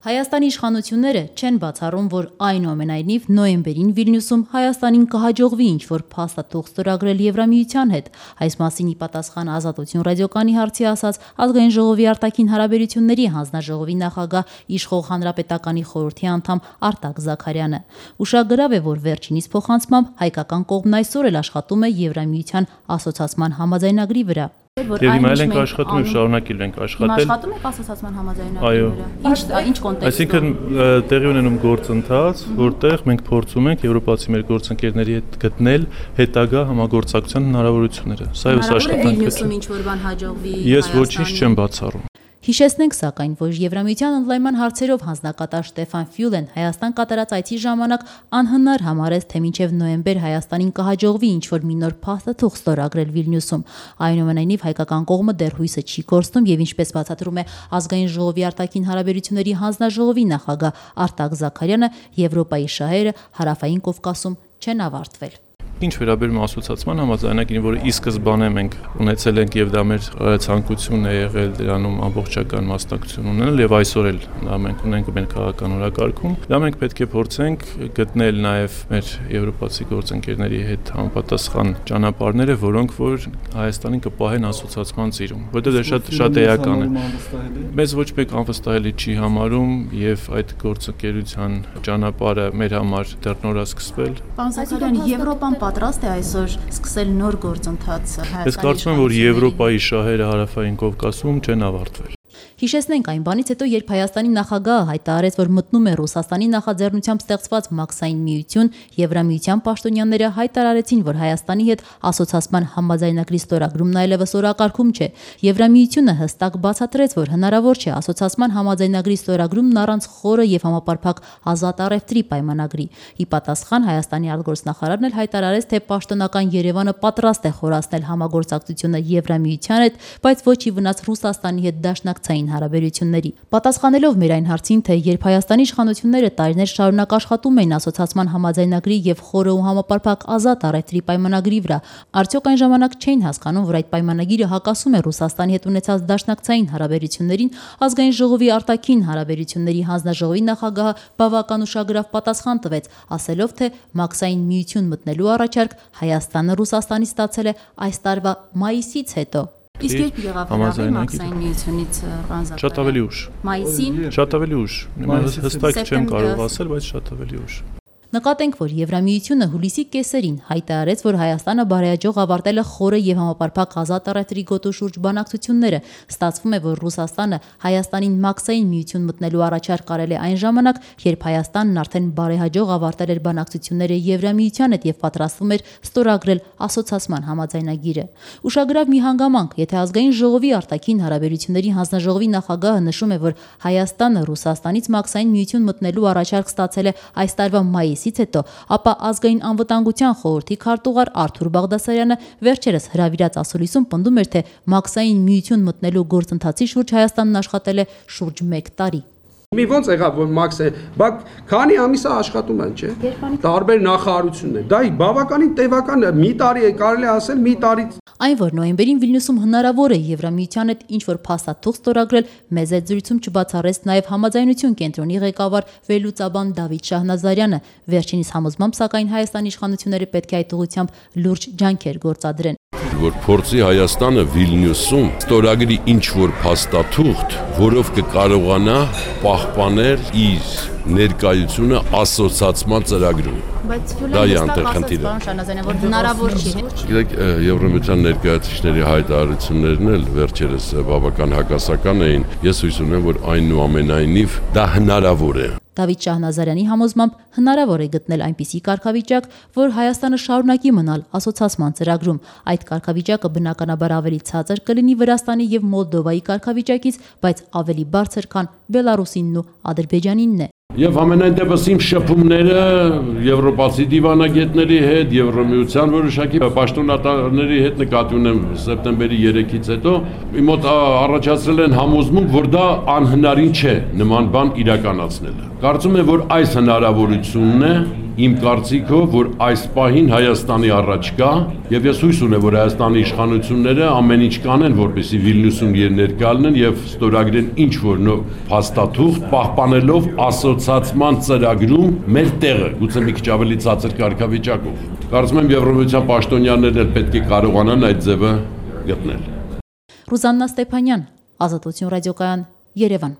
Հայաստանի իշխանությունները չեն բացառում, որ այնուամենայնիվ նոյեմբերին Վիլնյուսում Հայաստանին կհաջողվի ինչ-որ փաստաթուղթ ստորագրել Եվրամիության հետ։ Այս մասին ի պատասխան Ազատություն ռադիոկայանի հարցի ասաց Ազգային ժողովի արտաքին հարաբերությունների հանձնաժողովի նախագահ իշխող Հանրապետականի խորհրդի անդամ Արտակ Զաքարյանը։ Ուշագրավ է, որ վերջինիս փոխանցմամբ հայկական կողմն այսօր էլ աշխատում է Եվրամիության ասոցացման համաձայնագրի վրա։ Եվ հիմա ենք աշխատում եւ շարունակել ենք աշխատել։ Աշխատում եք ասոցացման համաձայնագրի վրա։ Ինչ կոնտեքստում։ Այսինքն տեղի ունենում գործընթաց, որտեղ մենք փորձում ենք եվրոպացի մեր գործընկերների հետ գտնել հետագա համագործակցության հնարավորությունները։ Սա էս աշխատանքը։ Վիլնյուսում ինչ որ բան հաջողվի։ Ես ոչինչ չեմ բացառում։ Հիշեցնենք սակայն, որ Եվրամիության ընդլայնման հարցերով հանձնակատար Ստեֆան Ֆյուլեն Հայաստան կատարած այցի ժամանակ անհնար համարեց, թե մինչև նոյեմբեր Հայաստանին կհաջողվի ինչ-որ մի նոր փաստաթուղթ ստորագրել Վիլնյուսում։ Այնուամենայնիվ հայկական կողմը դեռ հույսը չի կորցնում եւ ինչպես բացատրում է Ազգային ժողովի արտաքին հարաբերությունների հանձնաժողովի նախագահ Արտակ Զաքարյանը, Եվրոպայի շահերը Հարավային Կովկասում չեն ավարտվել։ Ինչ վերաբերում է ասոցացման համաձայնագրին, որը ի սկզբանե մենք ունեցել ենք եւ դա մեր ցանկությունն է եղել դրանում ամբողջական մասնակցություն ունենալ եւ այսօր էլ դա մենք ունենք մեր քաղաքական օրակարգում, դա մենք պետք է փորձենք գտնել նաեւ մեր եվրոպացի գործընկերների հետ համապատասխան ճանապարհները, որոնք որ Հայաստանին կպահեն ասոցացման ծիրում, որտեղ դա շատ էական է։ Մեզ ոչ մեկ անվստահելի չի համարում եւ այդ գործընկերության ճանապարհը մեր համար դեռ նոր է սկսվել։ Պարոն Զաքարյան, Եվրոպան պատրաստ է այսօր սկսել նոր գործընթաց Հայաստանի։ Ես կարծում եմ, որ Եվրոպայի շահերը Հարավային Կովկասում չեն ավարտվել։ Հիշեցնենք այն բանից հետո, երբ Հայաստանի նախագահը հայտարարեց, որ մտնում է Ռուսաստանի նախաձեռնությամբ ստեղծված Մաքսային միություն, Եվրամիության պաշտոնյաները հայտարարեցին, որ Հայաստանի հետ ասոցացման համաձայնագրի ստորագրումն այլևս օրակարգում չէ։ Եվրամիությունը հստակ բացատրեց, որ հնարավոր չէ ասոցացման համաձայնագրի ստորագրումն առանց խորը եւ համապարփակ ազատ առևտրի պայմանագրի։ Ի պատասխան Հայաստանի արտգործնախարարն էլ հայտարարեց, թե պաշտոնական Երևանը պատրաստ է խորացնել համագործակցությունը Եվրամիության հետ, բայց ոչ ի վնաս Ռուսաստանի հետ դաշնակցային հարաբերությունների։ Պատասխանելով մեր այն հարցին, թե երբ Հայաստանի իշխանությունները տարիներ շարունակ աշխատում էին ասոցացման համաձայնագրի եւ խորը ու համապարփակ ազատ առևտրի պայմանագրի վրա, արդյոք այն ժամանակ չէին հասկանում, որ այդ պայմանագիրը հակասում է Ռուսաստանի հետ ունեցած դաշնակցային հարաբերություններին, Ազգային ժողովի արտաքին հարաբերությունների հանձնաժողովի նախագահը բավական ուշագրավ պատասխան տվեց, ասելով, թե Մաքսային միություն մտնելու առաջարկ Հայաստանը Ռուսաստանից ստացել է այս տարվա մայիսից հետո։ Իսկ երբ եղավ հրավեր Մաքսային միությունից Ռանզապ։ Շատ ավելի ուշ։ Մայիսին։ Շատ ավելի ուշ։ Հստակ չեմ կարող ասել, բայց շատ ավելի ուշ։ Նկատենք, որ Եվրամիությունը հուլիսի կեսերին հայտարարեց, որ Հայաստանը բարեհաջող ավարտել է խորը եւ համապարփակ ազատ առևտրի գոտու շուրջ բանակցությունները։ Ստացվում է, որ Ռուսաստանը Հայաստանին Մաքսային միություն մտնելու առաջարկ արել է այն ժամանակ, երբ Հայաստանն արդեն բարեհաջող ավարտել էր բանակցությունները Եվրամիության հետ եւ պատրաստվում էր ստորագրել ասոցացման համաձայնագիրը։ Ուշագրավ մի հանգամանք, եթե Ազգային ժողովի արտաքին հարաբերությունների հանձնաժողովի նախագահը նշում է, որ Հայաստանը Ռուսաստանից Մաքսային միություն մտնելու առաջարկ ստացել է այս տարվա մայիսից հետո, ապա Ազգային անվտանգության խորհրդի քարտուղար Արթուր Բաղդասարյանը վերջերս հրավիրած ասուլիսում պնդում էր, թե Մաքսային միություն մտնելու գործընթացի շուրջ Հայաստանն աշխատել է շուրջ 1 տարի։ Մի ոնց եղավ, որ Մաքսը, բակ քանի ամիս է աշխատում են, չէ՞։ Տարբեր նախարարություններ։ Դա բավականին տևական է, մի տարի է կարելի ասել, մի տարից։ Այն, որ նոյեմբերին Վիլնյուսում հնարավոր է Եվրամիության հետ ինչ-որ փաստաթուղթ ստորագրել, մեծ այդ զրույցում չբացառեց նաև Համաձայնություն կենտրոնի ղեկավար վերլուծաբան Դավիթ Շահնազարյանը։ Վերջինիս համոզմամբ, սակայն Հայաստանի իշխանությունները պետք է այդ ուղղությամբ լուրջ ջանքեր գործադրեն։ Որ փորձի Հայաստանը Վիլնյուսում ստորագրի ինչ-որ փաստաթուղթ, որով կկարողանա պահպանել իր ներկայությունը ասոցացման ծրագրում։ Բայց Ֆյուլեն հստակ ասաց, որ հնարավոր չի։ Գիտեք, Եվրամիության ներկայացուցիչների հայտարարություններն էլ վերջերս բավական հակասական էին։ Ես հույս ունեմ, որ այնուամենայնիվ դա հնարավոր է։ Դավիթ Շահնազարյանի համոզմամբ հնարավոր է գտնել այնպիսի կարգավիճակ, որ Հայաստանը շարունակի մնալ ասոցացման ծրագրում։ Այդ կարգավիճակը բնականաբար ավելի ցածր կլինի Վրաստանի եւ Մոլդովայի կարգավիճակից, բայց ավելի բարձր, քան Բելարուսինն ու Ադրբեջանինն է։ Եվ ամենայն դեպս իմ շփումները եվրոպացի դիվանագետների հետ, Եվրամիության որոշակի պաշտոնատարների հետ նկատի ունեմ սեպտեմբերի 3-ից հետո, իմ մոտ առաջացրել են համոզմունք, որ դա անհնարին չէ նման բան իրականացնելը։ Կարծում եմ, որ այս հնարավորությունն է իմ կարծիքով, որ այս պահին Հայաստանի առաջ կա, եւ ես հույս ունեմ, որ Հայաստանի իշխանությունները ամեն ինչ կանեն, որպեսզի Վիլնյուսում ներկա լինեն եւ ստորագրեն ինչ որ փաստաթուղթ, պահպանելով ասոցիացիան ծրագրում մեր տեղը, գուցե մի քիչ ավելի ցածր կարգավիճակով։ Կարծում եմ Եվրոմիության պաշտոնյաներն էլ պետք է կարողանան այդ ձևը գտնել։ Ռուզաննա Ստեփանյան, Ազատություն ռադիոկայան, Երևան։